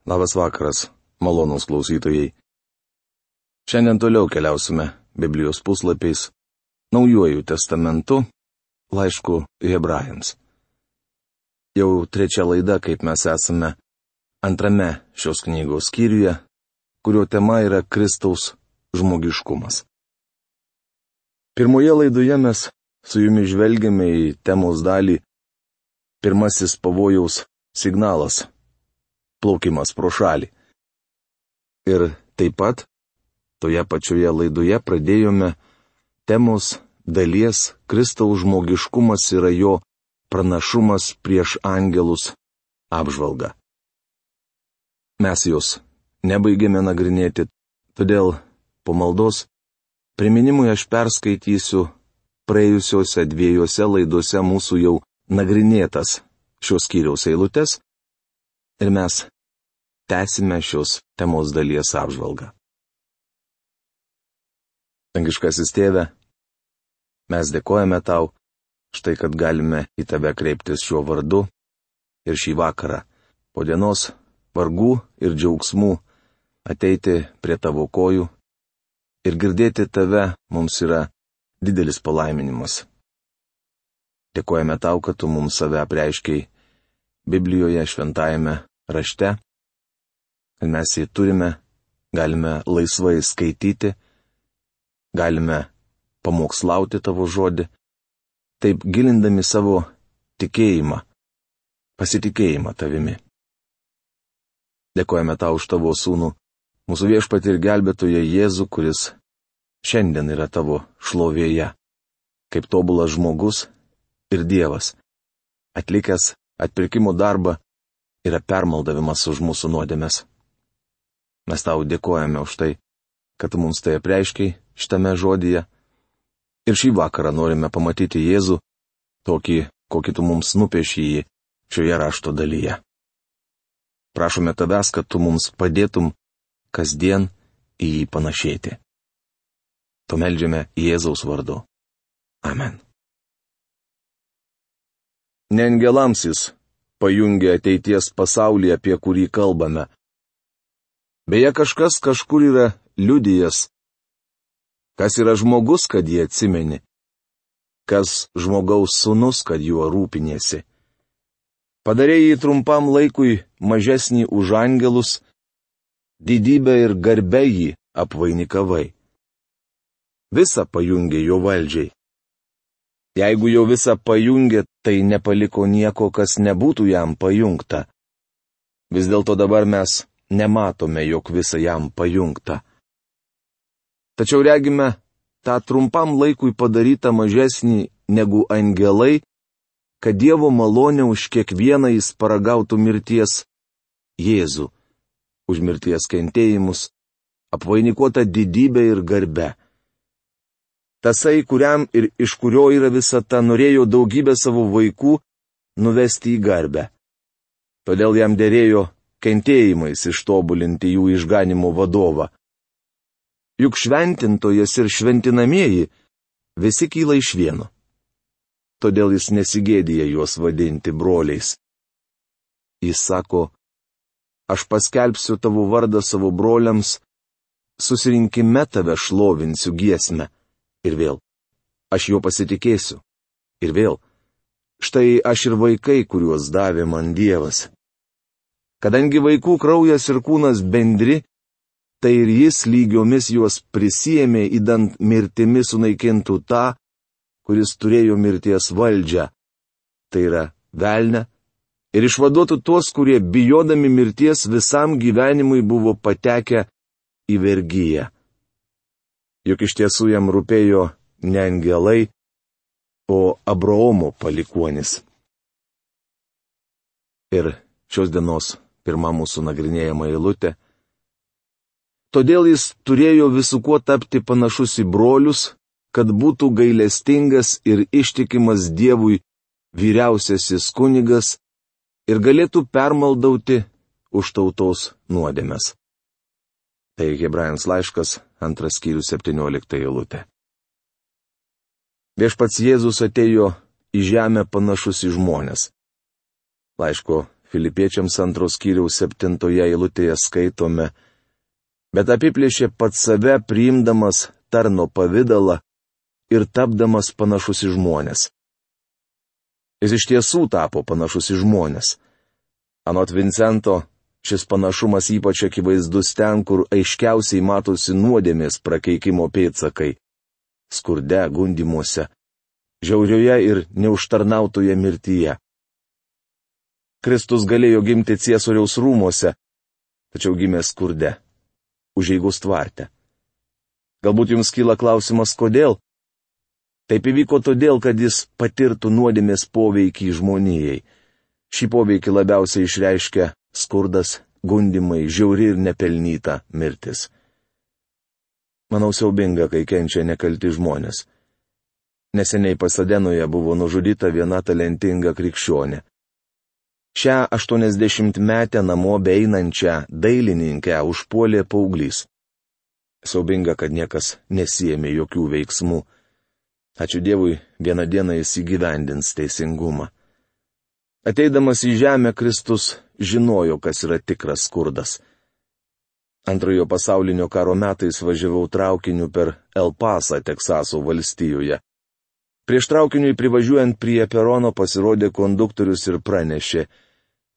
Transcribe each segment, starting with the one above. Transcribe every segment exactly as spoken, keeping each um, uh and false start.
Labas vakaras, malonūs klausytojai. Šiandien toliau keliausime Biblijos puslapiais, Naujuoju testamentu, laišku Hebrajams. Jau trečia laida, kaip mes esame antrame šios knygos skyriuje, kurio tema yra Kristaus žmogiškumas. Pirmoje laidoje mes su jumis žvelgiame į temos dalį pirmasis pavojaus signalas - plaukimas pro šalį. Ir taip pat toje pačioje laidoje pradėjome temos dalies Kristaus žmogiškumas yra jo pranašumas prieš angelus apžvalgą. Mes jos nebaigėme nagrinėti, todėl po maldos priminimui aš perskaitysiu praėjusiuose dviejose laidose mūsų jau nagrinėtas šios skyriaus eilutes ir mes tęsime šios temos dalies apžvalgą. Dangiškasis Tėve, mes dėkojame Tau, štai kad galime į Tave kreiptis šiuo vardu ir šį vakarą, po dienos vargų ir džiaugsmų, ateiti prie Tavo kojų ir girdėti Tave mums yra didelis palaiminimas. Dėkojame Tau, kad Tu mums save apreiškiai Biblijoje šventajame rašte, kad mes jį turime, galime laisvai skaityti, galime pamokslauti Tavo žodį, taip gilindami savo tikėjimą, pasitikėjimą Tavimi. Dėkojame Tau už Tavo sūnų, mūsų viešpatį ir gelbėtoją Jėzų, kuris šiandien yra Tavo šlovėje, kaip tobulas žmogus ir Dievas, atlikęs atpirkimo darbą, yra permaldavimas už mūsų nuodėmes. Mes Tau dėkojame už tai, kad Tu mums tai apreiškiai šitame žodyje. Ir šį vakarą norime pamatyti Jėzų, tokį, kokį Tu mums nupieši jį šioje rašto dalyje. Prašome Tavęs, kad Tu mums padėtum kasdien į jį panašėti. To meldžiame Jėzaus vardu. Amen. Ne angelams jis pajungia ateities pasaulį, apie kurį kalbame. Beje, kažkas kažkur yra liudijęs. Kas yra žmogus, kad jį atsimeni? Kas žmogaus sūnus, kad juo rūpiniesi? Padarei jį trumpam laikui mažesnį už angelus, didybę ir garbę jį apvainikavai. Visa pajungė jo valdžiai. Jeigu jau visą pajungė, tai nepaliko nieko, kas nebūtų jam pajungta. Vis dėlto dabar mes nematome, jog visa jam pajungta. Tačiau regime tą trumpam laikui padarytą mažesnį negu angelai, kad Dievo malonė už kiekvieną jis paragautų mirties Jėzų, už mirties kentėjimus, apvainikuota didybė ir garbe. Tasai, kuriam ir iš kurio yra visata, norėjo daugybę savo vaikų nuvesti į garbę. Todėl jam dėrėjo kentėjimais ištobulinti jų išganimo vadovą. Juk šventintojas ir šventinamieji visi kyla iš vieno. Todėl jis nesigėdija juos vadinti broliais. Jis sako, aš paskelbsiu Tavo vardą savo broliams, susirinkime Tave šlovinsiu giesmę. Ir vėl, aš jo pasitikėsiu. Ir vėl, štai aš ir vaikai, kuriuos davė man Dievas. Kadangi vaikų kraujas ir kūnas bendri, tai ir jis lygiomis juos prisėmė, įdant mirtimi sunaikintų tą, kuris turėjo mirties valdžią, tai yra velnią, ir išvaduotų tuos, kurie bijodami mirties visam gyvenimui buvo patekę į vergiją. Juk iš tiesų jam rūpėjo ne angelai, o Abraomo palikuonis. Ir šios dienos pirma mūsų nagrinėjama eilutė. Todėl jis turėjo visų kuo tapti panašus į brolius, kad būtų gailestingas ir ištikimas Dievui vyriausiasis kunigas ir galėtų permaldauti už tautos nuodėmes. Tai Hebrajams laiškas, antras skyrius, septyniolikta eilutė. Viešpats Jėzus atėjo į žemę panašus į žmones. Laiško Filipiečiams antros skyriaus septintoje eilutėje skaitome, bet apiplėšė pats save priimdamas tarno pavidalą ir tapdamas panašus į žmonės. Jis iš tiesų tapo panašus į žmonės. Anot Vincento, šis panašumas ypač akivaizdus ten, kur aiškiausiai matosi nuodėmės prakeikimo pėdsakai - skurde, gundymuose, žiaurioje ir neužtarnautoje mirtyje. Kristus galėjo gimti Ciesoriaus rūmuose, tačiau gimė skurde, užeigos tvarte. Galbūt jums kyla klausimas, kodėl? Taip įvyko todėl, kad jis patirtų nuodėmės poveikį žmonijai. Šį poveikį labiausiai išreiškia skurdas, gundymai, žiauri ir nepelnyta mirtis. Manau, siaubinga, kai kenčia nekalti žmonės. Neseniai Pasadenoje buvo nužudyta viena talentinga krikščionė. Šią aštuoniasdešimtmetę namo beeinančią dailininkę užpuolė paauglys. Siaubinga, kad niekas nesiėmė jokių veiksmų. Ačiū Dievui, vieną dieną jis įgyvendins teisingumą. Ateidamas į žemę, Kristus žinojo, kas yra tikras skurdas. Antrojo pasaulinio karo metais važiavau traukiniu per El Pasą, Teksaso valstijoje. Prieš traukiniui privažiuojant prie perono pasirodė konduktorius ir pranešė: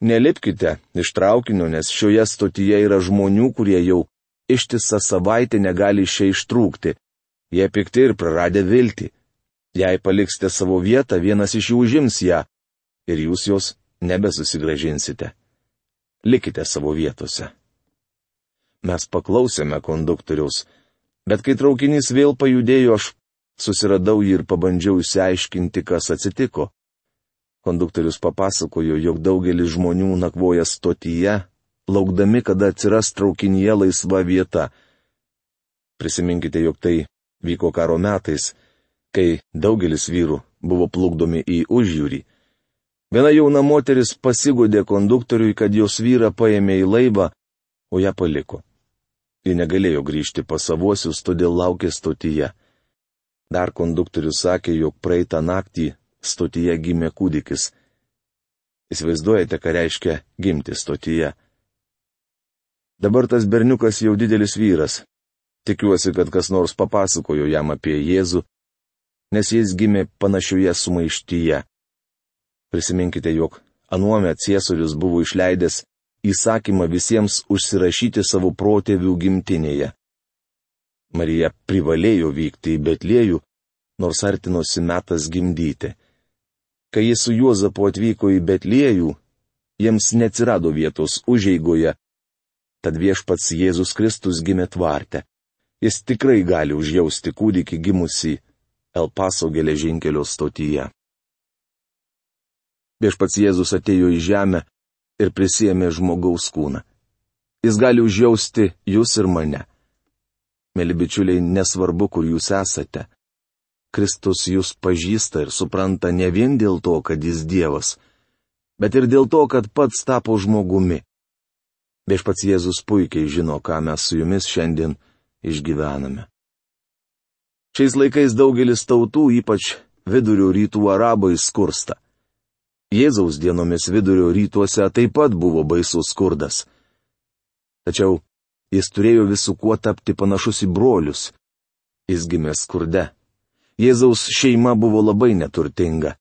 nelipkite iš traukinio, nes šioje stotyje yra žmonių, kurie jau ištisą savaitę negali iš čia ištrūkti. Jie pikti ir praradę viltį. Jei paliksite savo vietą, vienas iš jų užims ją ir jūs jos nebesusigrąžinsite. Likite savo vietose. Mes paklausėme konduktoriaus, bet kai traukinys vėl pajudėjo, aš susiradau jį ir pabandžiau išsiaiškinti, kas atsitiko. Konduktorius papasakojo, jog daugelis žmonių nakvoja stotyje, laukdami, kada atsiras traukinyje laisva vieta. Prisiminkite, jog tai vyko karo metais, kai daugelis vyrų buvo plukdomi į užjūrį. Viena jauna moteris pasigodė konduktoriui, kad jos vyrą paėmė į laivą, o ją paliko. Ji negalėjo grįžti pas savuosius, todėl laukė stotyje. Dar konduktorius sakė, jog praeitą naktį stotyje gimė kūdikis. Įsivaizduojate, ką reiškia gimti stotyje. Dabar tas berniukas jau didelis vyras. Tikiuosi, kad kas nors papasakojo jam apie Jėzų, nes jis gimė panašioje sumaištyje. Prisiminkite, jog anuomet Ciesorius buvo išleidęs įsakymą visiems užsirašyti savo protėvių gimtinėje. Marija privalėjo vykti į Betliejų, nors artinosi metas gimdyti. Kai jis su Juozapu atvyko į Betliejų, jiems neatsirado vietos užeigoje, tad viešpats Jėzus Kristus gimė tvarte. Jis tikrai gali užjausti kūdikį gimusį El Paso geležinkelio stotyje. Viešpats Jėzus atėjo į žemę ir prisiėmė žmogaus kūną. Jis gali užjausti jūs ir mane. Mėly bičiuliai, nesvarbu, kur jūs esate. Kristus jūs pažįsta ir supranta ne vien dėl to, kad jis Dievas, bet ir dėl to, kad pats tapo žmogumi. Viešpats Jėzus puikiai žino, ką mes su jumis šiandien išgyvename. Šiais laikais daugelis tautų, ypač vidurio rytų arabai, skursta. Jėzaus dienomis vidurio rytuose taip pat buvo baisus skurdas. Tačiau jis turėjo visų kuo tapti panašus į brolius. Jis gimė skurde. Jėzaus šeima buvo labai neturtinga.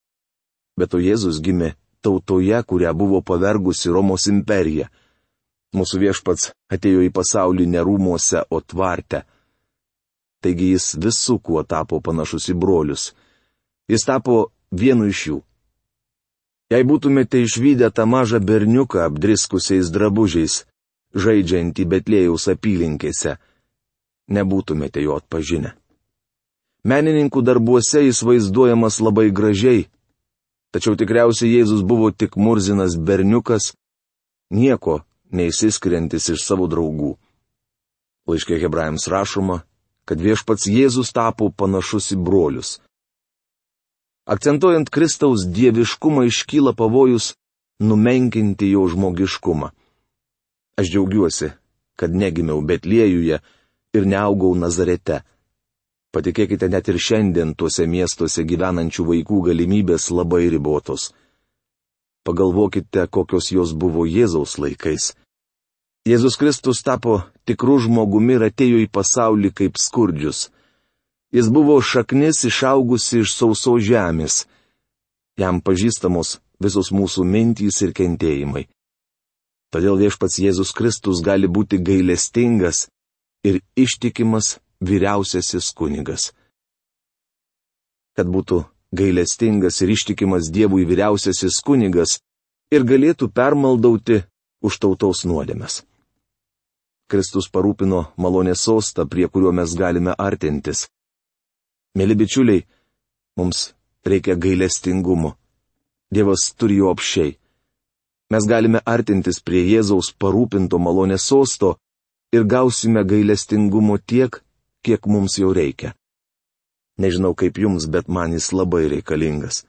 Bet o Jėzus gimė tautoje, kurią buvo pavergusi Romos imperija. Mūsų viešpats atėjo į pasaulį ne rūmuose, o tvarte. Taigi jis visų kuo tapo panašus į brolius. Jis tapo vienu iš jų. Jei būtumėte išvydę tą mažą berniuką apdriskusiais drabužiais, žaidžiantį Betliejaus apylinkėse, nebūtumėte jo atpažinę. Menininkų darbuose jis vaizduojamas labai gražiai, tačiau tikriausiai Jėzus buvo tik murzinas berniukas, nieko neįsiskiriantis iš savo draugų. Laiške Hebrajams rašoma, kad viešpats Jėzus tapo panašus į brolius. Akcentuojant Kristaus dieviškumą iškyla pavojus numenkinti jo žmogiškumą. Aš džiaugiuosi, kad negimiau Betliejuje ir neaugau Nazarete. Patikėkite, net ir šiandien tuose miestuose gyvenančių vaikų galimybės labai ribotos. Pagalvokite, kokios jos buvo Jėzaus laikais. Jėzus Kristus tapo tikrų žmogumi ir atėjo į pasaulį kaip skurdžius. Jis buvo šaknis išaugusi iš sausos žemės. Jam pažįstamos visos mūsų mintys ir kentėjimai. Todėl viešpats Jėzus Kristus gali būti gailestingas ir ištikimas vyriausiasis kunigas. Kad būtų gailestingas ir ištikimas Dievui vyriausiasis kunigas ir galėtų permaldauti už tautos nuodėmes. Kristus parūpino malonės sostą, prie kurio mes galime artintis. Mėly bičiuliai, mums reikia gailestingumo. Dievas turi jo apsčiai. Mes galime artintis prie Jėzaus parūpinto malonės sosto ir gausime gailestingumo tiek, kiek mums jau reikia. Nežinau kaip jums, bet man jis labai reikalingas.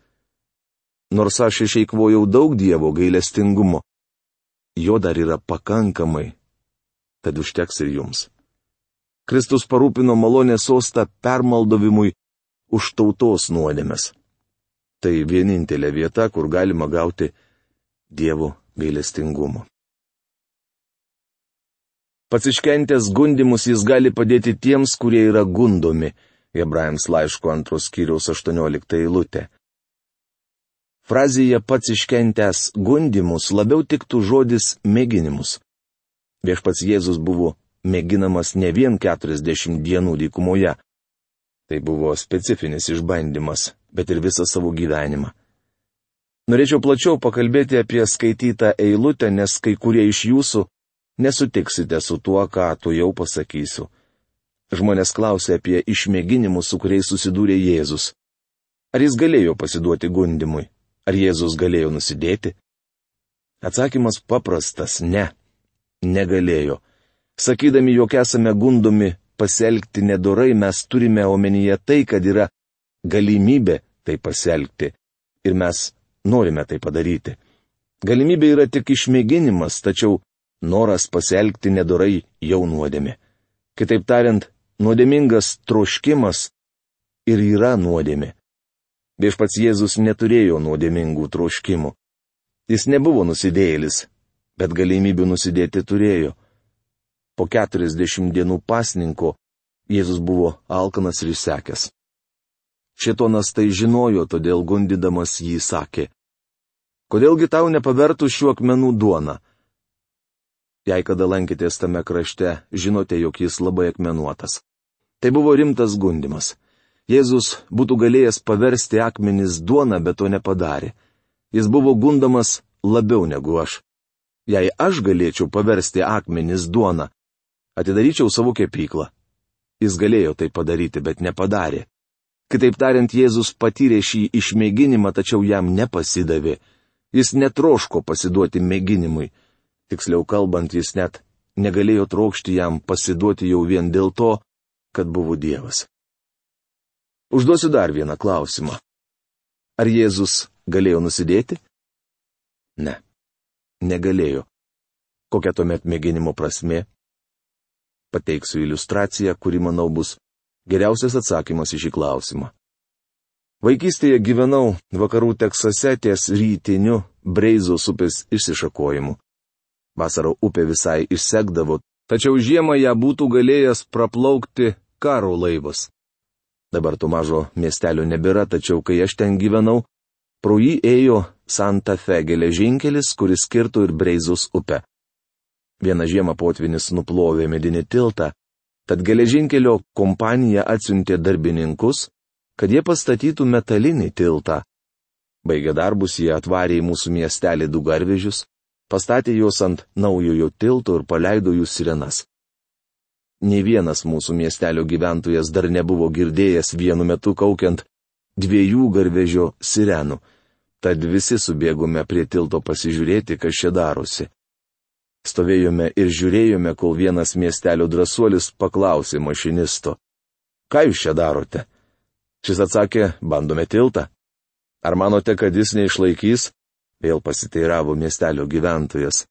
Nors aš išeikvojau daug Dievo gailestingumo, jo dar yra pakankamai, tad užteks ir jums. Kristus parūpino malonės sostą permaldovimui už tautos nuodėmes. Tai vienintelė vieta, kur galima gauti Dievo gailestingumo. Pats iškentęs gundymus jis gali padėti tiems, kurie yra gundomi. Hebrajams laiško antros skyriaus aštuoniolikta eilutė. Frazėje pats iškentęs gundymus labiau tiktų žodis mėginimus. Viešpats Jėzus buvo mėginamas ne vien keturiasdešimt dienų dykumoje. Tai buvo specifinis išbandymas, bet ir visą savo gyvenimą. Norėčiau plačiau pakalbėti apie skaitytą eilutę, nes kai kurie iš jūsų nesutiksite su tuo, ką tu jau pasakysiu. Žmonės klausia apie išmėginimus, su kuriais susidūrė Jėzus. Ar jis galėjo pasiduoti gundymui? Ar Jėzus galėjo nusidėti? Atsakymas paprastas – ne. Negalėjo. Sakydami, jog esame gundomi pasielgti nedorai, mes turime omenyje tai, kad yra galimybė tai pasielgti. Ir mes norime tai padaryti. Galimybė yra tik išmėginimas, tačiau noras pasielgti nedorai jau nuodėmė. Kitaip tariant, nuodėmingas troškimas ir yra nuodėmė. Viešpats Jėzus neturėjo nuodėmingų troškimų. Jis nebuvo nusidėjėlis, bet galimybių nusidėti turėjo. Po keturiasdešimt dienų pasninko Jėzus buvo alkanas ir išsekęs. Šėtonas tai žinojo, todėl gundydamas jį sakė: kodėlgi tau nepavertų šių akmenų duona? Jei kada lankėtės tame krašte, žinote, jog jis labai akmenuotas. Tai buvo rimtas gundymas. Jėzus būtų galėjęs paversti akmenis duona, bet to nepadarė. Jis buvo gundomas labiau negu aš. Jei aš galėčiau paversti akmenis duona, atidaryčiau savo kepyklą. Jis galėjo tai padaryti, bet nepadarė. Kitaip tariant, Jėzus patyrė šį išmėginimą, tačiau jam nepasidavė. Jis netroško pasiduoti mėginimui. Tiksliau kalbant, jis net negalėjo trokšti jam pasiduoti jau vien dėl to, kad buvo Dievas. Užduosiu dar vieną klausimą. Ar Jėzus galėjo nusidėti? Ne. Negalėjo. Kokia tuomet mėginimo prasmė? Pateiksiu iliustraciją, kuri, manau, bus geriausias atsakymas į šį klausimą. Vaikystėje gyvenau vakarų Teksase ties rytiniu Breizos upės išsišakojimu. Vasarą upė visai išsekdavo, tačiau žiemą ją būtų galėjęs praplaukti karo laivas. Dabar to mažo miestelio nebėra, tačiau kai aš ten gyvenau, pro jį ėjo Santa Fe geležinkelis, kuris kirto ir Breizos upę. Vieną žiemą potvynis nuplovė medinį tiltą, tad geležinkelio kompanija atsiuntė darbininkus, kad jie pastatytų metalinį tiltą. Baigę darbus, jie atvarė į mūsų miestelį du garvežius, pastatė juos ant naujojo tilto ir paleido jų sirenas. Nė vienas mūsų miestelio gyventojas dar nebuvo girdėjęs vienu metu kaukiant dviejų garvežio sirenų, tad visi subėgome prie tilto pasižiūrėti, kas čia darosi. Stovėjome ir žiūrėjome, kol vienas miestelio drąsuolis paklausė mašinisto: ką jūs čia darote? Šis atsakė: bandome tiltą. Ar manote, kad jis neišlaikys? Vėl pasiteiravo miestelio gyventojas.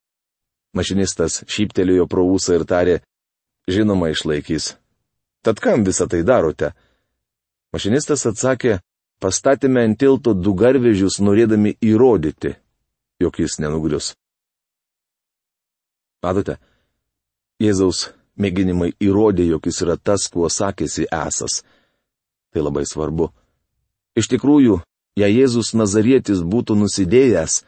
Mašinistas šyptelėjo pro ūsą ir tarė: žinoma, išlaikys. Tad kam visą tai darote? Mašinistas atsakė: pastatėme ant tilto du garvežius, norėdami įrodyti. jog jis nenugrius. Matote, Jėzaus mėginimai įrodė, jog jis yra tas, kuo sakėsi esas. Tai labai svarbu. Iš tikrųjų, jei Jėzus Nazarietis būtų nusidėjęs,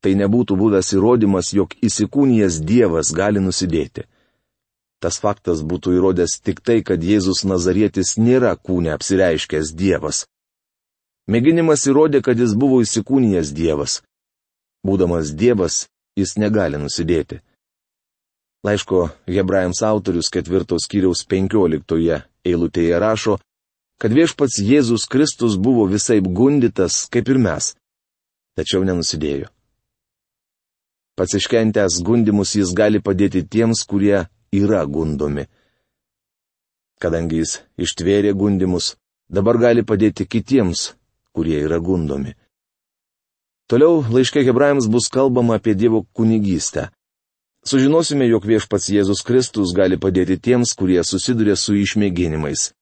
tai nebūtų buvęs įrodymas, jog įsikūnijęs Dievas gali nusidėti. Tas faktas būtų įrodęs tik tai, kad Jėzus Nazarietis nėra kūne apsireiškęs Dievas. Mėginimas įrodė, kad jis buvo įsikūnijęs Dievas. Būdamas Dievas, jis negali nusidėti. Laiško Hebrajams autorius ketvirtos skyriaus penkioliktoje eilutėje rašo, kad viešpats Jėzus Kristus buvo visaip gundytas, kaip ir mes, tačiau nenusidėjo. Pats iškentęs gundymus jis gali padėti tiems, kurie yra gundomi. Kadangi jis ištvėrė gundymus, dabar gali padėti kitiems, kurie yra gundomi. Toliau laiške Hebrajams bus kalbama apie Dievo kunigystę. Sužinosime, jog viešpats Jėzus Kristus gali padėti tiems, kurie susiduria su išmėginimais.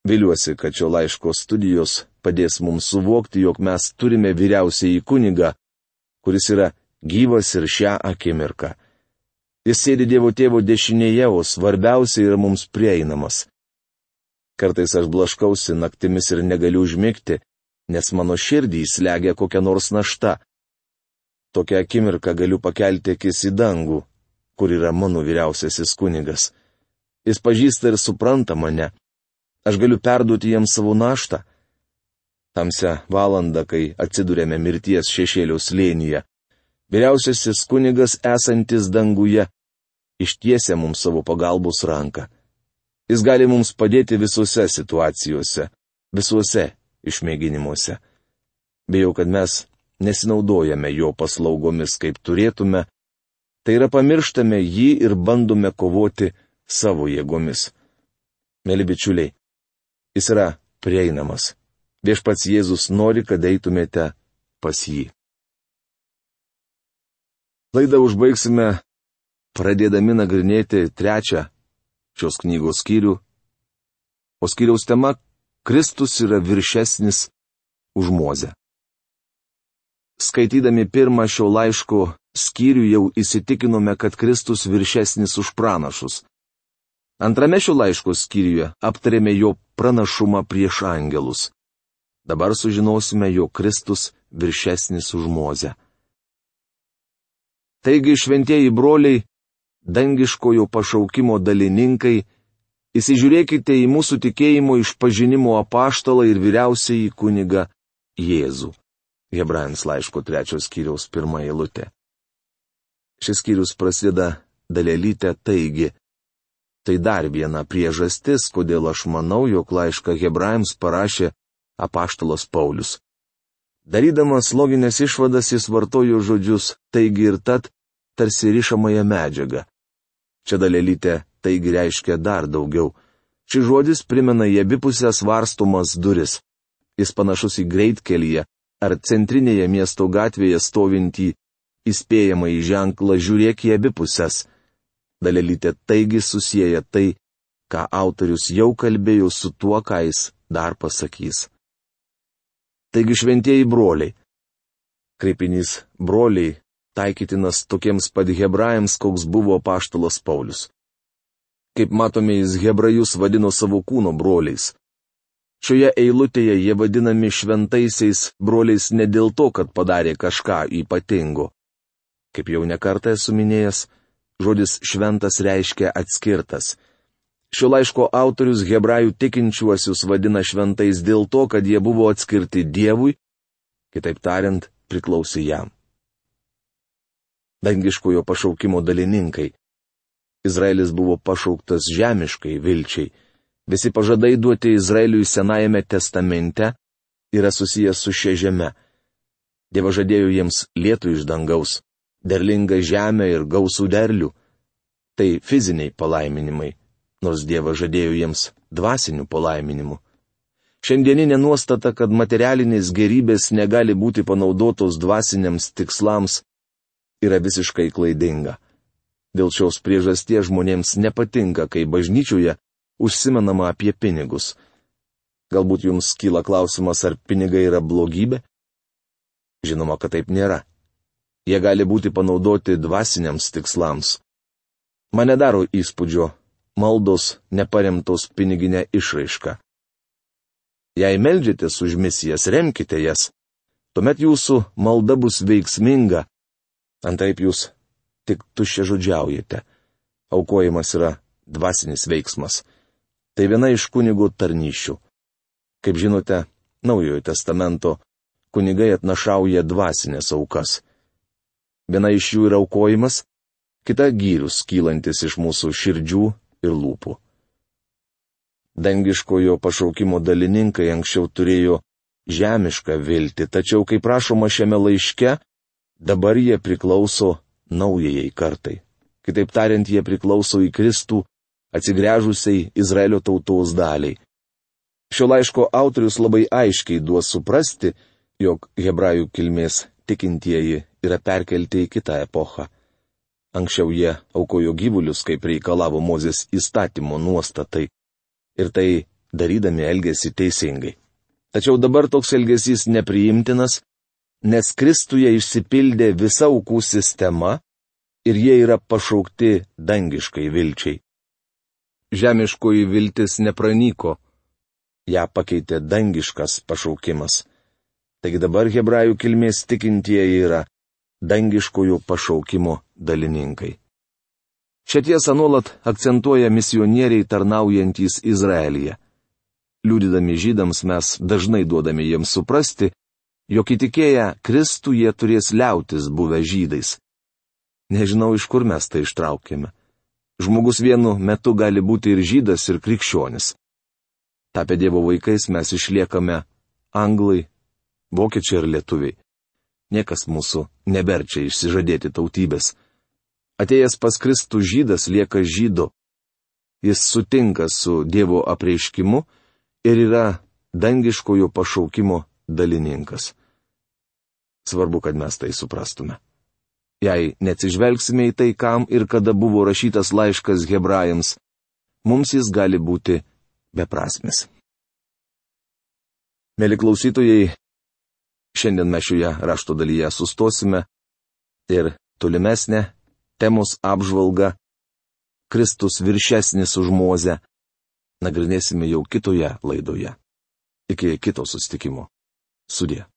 Viliuosi, kad šio laiško studijos padės mums suvokti, jog mes turime vyriausiąjį kunigą, kuris yra gyvas ir šią akimirką. Jis sėdi Dievo Tėvo dešinėje, o svarbiausia yra mums prieinamas. Kartais aš blaškausi naktimis ir negaliu užmigti, nes mano širdį slegia kokia nors našta. Tokią akimirką galiu pakelti akis į dangų, kur yra mano vyriausiasis kunigas. Jis pažįsta ir supranta mane. Aš galiu perduoti jam savo naštą. Tamsią valandą, kai atsidūrėme mirties šešėlio slėnyje, vyriausiasis kunigas esantis danguje ištiesia mums savo pagalbos ranką. Jis gali mums padėti visose situacijose, visuose išmėginimuose. Bijau, kad mes nesinaudojame jo paslaugomis, kaip turėtume, tai yra pamirštame jį ir bandome kovoti savo jėgomis. Mėly bičiuliai, jis yra prieinamas. Viešpats Jėzus nori, kad eitumėte pas jį. Laidą užbaigsime pradėdami nagrinėti trečią šios knygos skyrių, o skyriaus tema - Kristus yra viršesnis už Mozę. Skaitydami pirmą šio laiško skyrių jau įsitikinome, kad Kristus viršesnis už pranašus. Antrame šio laiško skyriuje aptarėme jo pranašumą prieš angelus. Dabar sužinosime, jog Kristus viršesnis už Mozę. Taigi, šventieji broliai, dangiškojo pašaukimo dalininkai, įsižiūrėkite į mūsų tikėjimo išpažinimo apaštalą ir vyriausiąjį kunigą Jėzų. Hebrajams laiško trečios skyriaus pirmą eilutę. Šis skyrius prasideda dalelyte taigi. Tai dar viena priežastis, kodėl aš manau, jog laišką Hebrajams parašė apaštalas Paulius. Darydamas loginės išvadas jis vartojo žodžius taigi ir tad, tarsi rišamąją medžiagą. Čia dalelyte taigi reiškia dar daugiau. Šis žodis primena į abipusės varstomas duris. Jis panašus į greitkelyje ar centrinėje miesto gatvėje stovintį įspėjamąjį ženklą žiūrėk į abi pusės. Dalelytė taigi susieja tai, ką autorius jau kalbėjo su tuo, ką jis dar pasakys. Taigi šventieji broliai. Kreipinys broliai taikytinas tokiems pat hebrajams, koks buvo apaštalas Paulius. Kaip matome, jis hebrajus vadino savo kūno broliais. Šioje eilutėje jie vadinami šventaisiais broliais ne dėl to, kad padarė kažką ypatingo. Kaip jau nekartą esu minėjęs, žodis šventas reiškia atskirtas. Šio laiško autorius hebrajų tikinčiuosius vadina šventais dėl to, kad jie buvo atskirti Dievui, kitaip tariant, priklausė jam. Dangiškojo pašaukimo dalininkai. Izraelis buvo pašauktas žemiškai vilčiai. Visi pažadai duoti Izraeliui Senajame testamente yra susijęs su šia žeme. Dievas žadėjo jiems lietų iš dangaus, derlingą žemę ir gausų derlių. Tai fiziniai palaiminimai, nors Dievas žadėjo jiems dvasinių palaiminimų. Šiandieninė nuostata, kad materialinės gerybės negali būti panaudotos dvasiniams tikslams, yra visiškai klaidinga. Dėl šios priežasties žmonėms nepatinka, kai bažnyčioje užsimenama apie pinigus. Galbūt jums kyla klausimas, ar pinigai yra blogybė? Žinoma, kad taip nėra. Jie gali būti panaudoti dvasiniams tikslams. Man nedaro įspūdžio maldos neparemtos piniginė išraiška. Jei meldžiatės už misijas, remkite jas. Tuomet jūsų malda bus veiksminga. Antraip jūs tik tuščiažodžiaujate. Aukojimas yra dvasinis veiksmas. Tai viena iš kunigo tarnysčių. Kaip žinote, Naujojo testamento kunigai atnašauja dvasinės aukas. Viena iš jų yra aukojimas, kita gyrius kylantis iš mūsų širdžių ir lūpų. Dangiškojo pašaukimo dalininkai anksčiau turėjo žemišką viltį, tačiau, kaip rašoma šiame laiške, dabar jie priklauso naujajai kartai. Kitaip tariant, jie priklauso į Kristų, atsigręžusiai Izraelio tautos daliai. Šio laiško autorius labai aiškiai duos suprasti, jog hebrajų kilmės tikintieji yra perkelti į kitą epochą. Anksčiau jie aukojo gyvulius, kaip reikalavo Mozės įstatymo nuostatai, ir tai darydami elgėsi teisingai. Tačiau dabar toks elgesys nepriimtinas, nes Kristuje išsipildė visa aukų sistema ir jie yra pašaukti dangiškai vilčiai. Žemiškoji viltis nepranyko, ją pakeitė dangiškas pašaukimas. Taigi dabar hebrajų kilmės tikintieji yra dangiškojo pašaukimo dalininkai. Šią tiesą nuolat akcentuoja misionieriai tarnaujantys Izraelyje. Liudydami žydams mes dažnai duodame jiems suprasti, jog įtikėję Kristų jie turės liautis buvę žydais. Nežinau, iš kur mes tai ištraukėme. Žmogus vienu metu gali būti ir žydas, ir krikščionis. Tapę Dievo vaikais mes išliekame anglai, vokiečiai ir lietuviai. Niekas mūsų neverčia išsižadėti tautybės. Atėjęs pas Kristų žydas lieka žydu. Jis sutinka su Dievo apreiškimu ir yra dangiškojo pašaukimo dalininkas. Svarbu, kad mes tai suprastume. Jei neatsižvelgsime į tai, kam ir kada buvo rašytas laiškas hebrajams, mums jis gali būti beprasmis. Mėly klausytojai, šiandien mes šioje rašto dalyje sustosime ir tolimesnė temos apžvalga Kristus viršesnis už Mozę nagrinėsime jau kitoje laidoje. Iki kito susitikimo. Sudie.